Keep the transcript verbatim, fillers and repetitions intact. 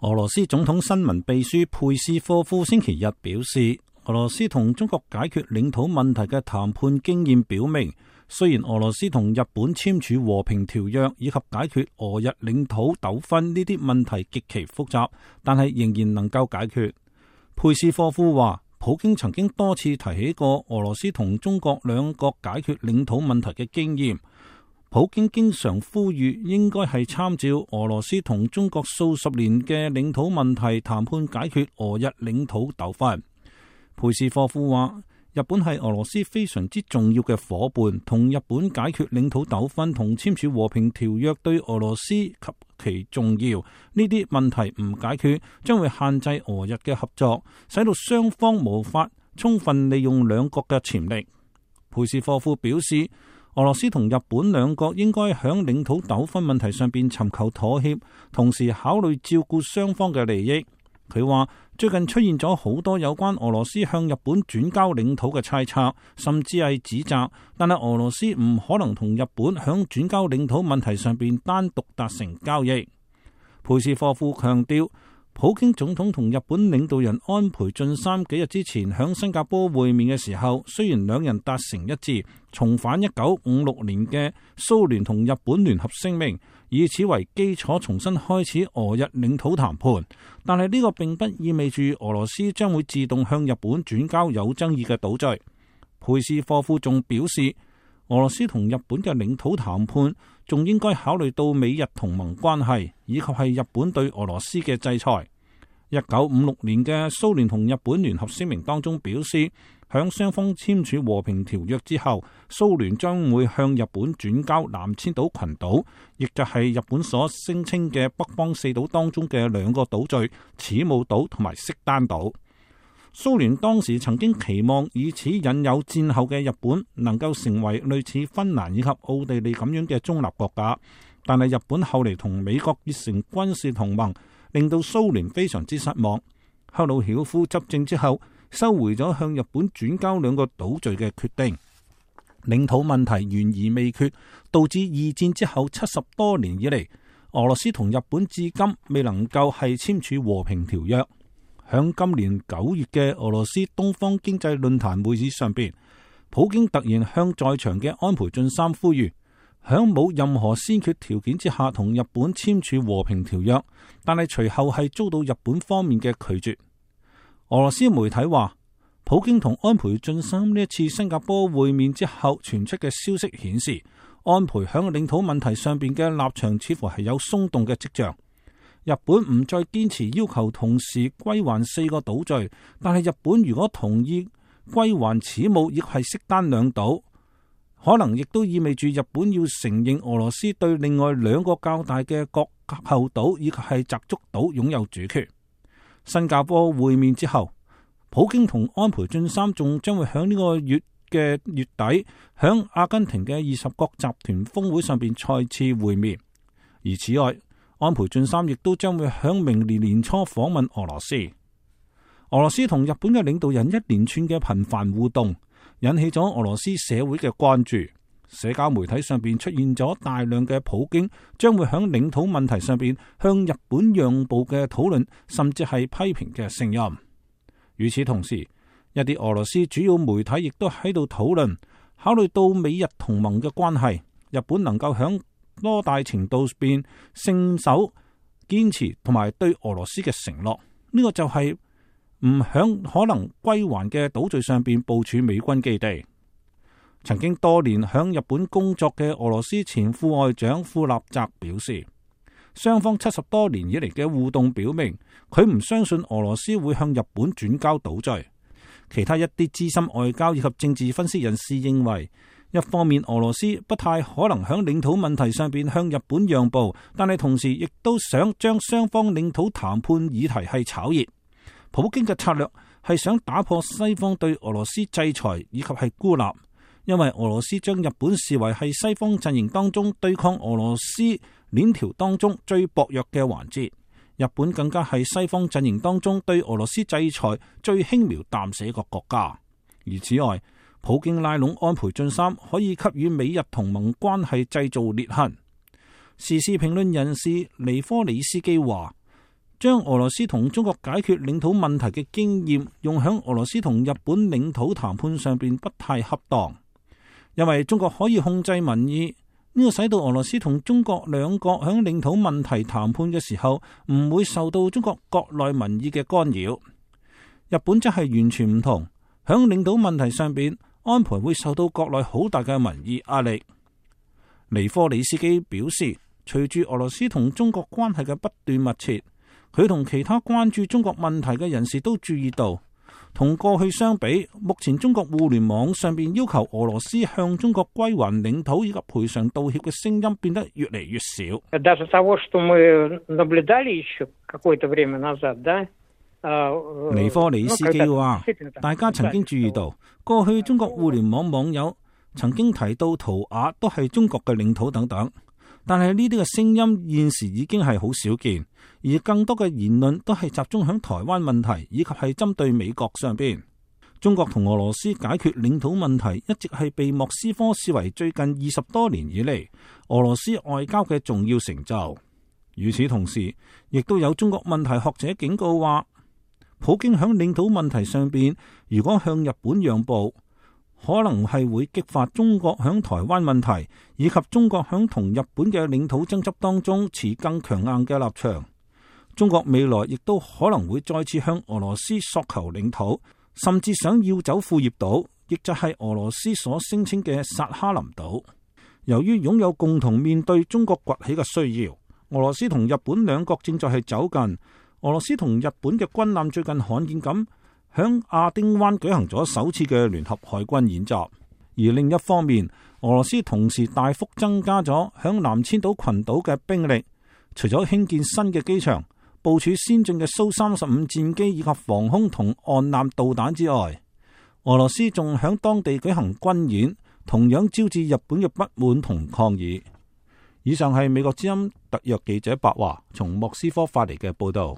俄羅斯總統新聞秘書佩斯科夫星期日表示，俄羅斯同中國解決領土問題嘅談判經驗表明，雖然俄羅斯同日本簽署和平條約以及解決俄日領土糾紛呢啲問題極其複雜，但係仍然能夠解決。佩斯科夫話，普京曾經多次提起過俄羅斯同中國兩國解決領土問題嘅經驗。普京經常呼籲應該係參照俄羅斯同中國數十年嘅領土問題談判解決俄日領土糾紛。佩斯科夫話，日本係俄羅斯非常之重要嘅夥伴，同日本解決領土糾紛同簽署和平條約對俄羅斯及其重要。呢啲問題唔解決，將會限制俄日嘅合作，使到雙方無法充分利用兩國嘅潛力。佩斯科夫表示，俄羅斯同日本兩國應該喺領土糾紛問題上邊尋求妥協，同時考慮照顧雙方嘅利益。佢話，最近出現咗好多有關俄羅斯向日本轉交領土嘅猜測，甚至係指責，但係俄羅斯唔可能同日本喺轉交領土問題上邊單獨達成交易。佩斯科夫強調，普京總統同日本領導人安倍晉三幾日之前喺新加坡會面嘅時候，雖然兩人達成一致，重返一九五六年嘅蘇聯同日本聯合聲明，以此為基礎重新開始俄日領土談判，但係呢個並不意味住俄羅斯將會自動向日本轉交有爭議嘅島嶼。佩斯科夫仲表示，俄羅斯同日本嘅領土談判仲應該考慮到美日同盟關係，以及係日本對俄羅斯嘅制裁。一九五六年嘅蘇聯同日本聯合聲明當中表示，響雙方簽署和平條約之後，蘇聯將會向日本轉交南千島群島，亦就係日本所聲稱嘅北方四島當中嘅兩個島嶼此武島同埋色丹島。蘇聯當時曾經期望以此引誘戰後嘅日本能夠成為類似芬蘭以及奧地利咁樣嘅中立國家，但係日本後嚟同美國結成軍事同盟，令到蘇聯非常之失望。赫魯曉夫執政之後，收回咗向日本轉交兩個島嶼嘅決定。領土問題懸而未決，導致二戰之後七十多年以嚟，俄羅斯同日本至今未能夠係簽署和平條約。響今年九月嘅俄羅斯東方經濟論壇會議上邊，普京突然向在場嘅安倍晉三呼籲，響冇任何先決條件之下同日本簽署和平條約，但係隨後係遭到日本方面嘅拒絕。俄羅斯媒體話，普京同安倍晉三呢一次新加坡會面之後傳出嘅消息顯示，安倍響領土問題上邊嘅立場似乎係有鬆動嘅跡象。日本唔再堅持要求同時歸還四個島嶼，但係日本如果同意歸還此武亦係色丹兩島，可能亦都意味住日本要承認俄羅斯對另外兩個較大嘅國後島以及係澤竹島擁有主權。新加坡會面之後，普京同安倍晉三仲將會喺呢個月嘅月底喺阿根廷嘅二十國集團峰會上邊再次會面。而此外，安倍晉三亦都將會喺明年年初訪問俄羅斯。俄羅斯同日本嘅領導人一連串嘅頻繁互動，引起咗俄羅斯社會嘅關注。社交媒體上邊出現咗大量嘅普京將會喺領土問題上邊向日本讓步嘅討論，甚至係批評嘅聲音。與此同時，一啲俄羅斯主要媒體亦都喺度討論，考慮到美日同盟嘅關係，日本能夠喺多大程度邊信守堅持同埋對俄羅斯嘅承諾，呢、這個就係唔響可能歸還嘅島嶼上邊部署美軍基地。曾經多年響日本工作嘅俄羅斯前副外長庫納澤表示，雙方七十多年以嚟嘅互動表明，佢唔相信俄羅斯會向日本轉交島嶼。其他一啲資深外交以及政治分析人士認為，一方面俄羅斯不太可能響領土問題上邊向日本讓步，但係同時亦都想將雙方領土談判議題係炒熱。普京嘅策略係想打破西方對俄羅斯制裁以及係孤立，因為俄羅斯將日本視為係西方陣營當中對抗俄羅斯鏈條當中最薄弱嘅環節。日本更加係西方陣營當中對俄羅斯制裁最輕描淡寫一個國家。而此外，普京拉攏安倍晉三可以給予美日同盟關係製造裂痕。時事評論人士尼科里斯基話，將俄羅斯同中國解決領土問題嘅經驗用響俄羅斯同日本領土談判上邊不太恰當，因為中國可以控制民意，呢個使到俄羅斯同中國兩國響領土問題談判嘅時候唔會受到中國國內民意嘅干擾。日本則係完全唔同，響領土問題上邊安倍會受到國內好大嘅民意壓力。尼科里斯基表示，隨住俄羅斯同中國關係嘅不斷密切，佢同其他關注中國問題嘅人士都注意到，同過去相比，目前中國互聯網上邊要求俄羅斯向中國歸還領土以及賠償道歉嘅聲音變得越嚟越少。尼科里斯基話，大家曾經注意到，過去中國互聯網網友曾經提到圖瓦都係中國嘅領土等等，但係呢啲嘅聲音現時已經係好少見，而更多嘅言論都係集中響台灣問題以及係針對美國上邊。中國同俄羅斯解決領土問題一直係被莫斯科視為最近二十多年以嚟俄羅斯外交嘅重要成就。與此同時，亦都有中國問題學者警告話，普京響領土問題上邊如果向日本讓步，可能係會激發中國響台灣問題以及中國響同日本嘅領土爭執當中持更強硬嘅立場。中國未來亦都可能會再次向俄羅斯索求領土，甚至想要走庫頁島，亦就係俄羅斯所聲稱嘅薩哈林島。由於擁有共同面對中國崛起嘅需要，俄羅斯同日本兩國正在係走近。俄羅斯同日本嘅軍艦最近罕見咁響亞丁灣舉行咗首次嘅聯合海軍演習，而另一方面，俄羅斯同時大幅增加咗響南千島群島嘅兵力，除咗興建新嘅機場、部署先進嘅蘇三十五戰機以及防空同岸艦導彈之外，俄羅斯仲響當地舉行軍演，同樣招致日本嘅不滿同抗議。以上係美國之音特約記者白華從莫斯科發嚟嘅報道。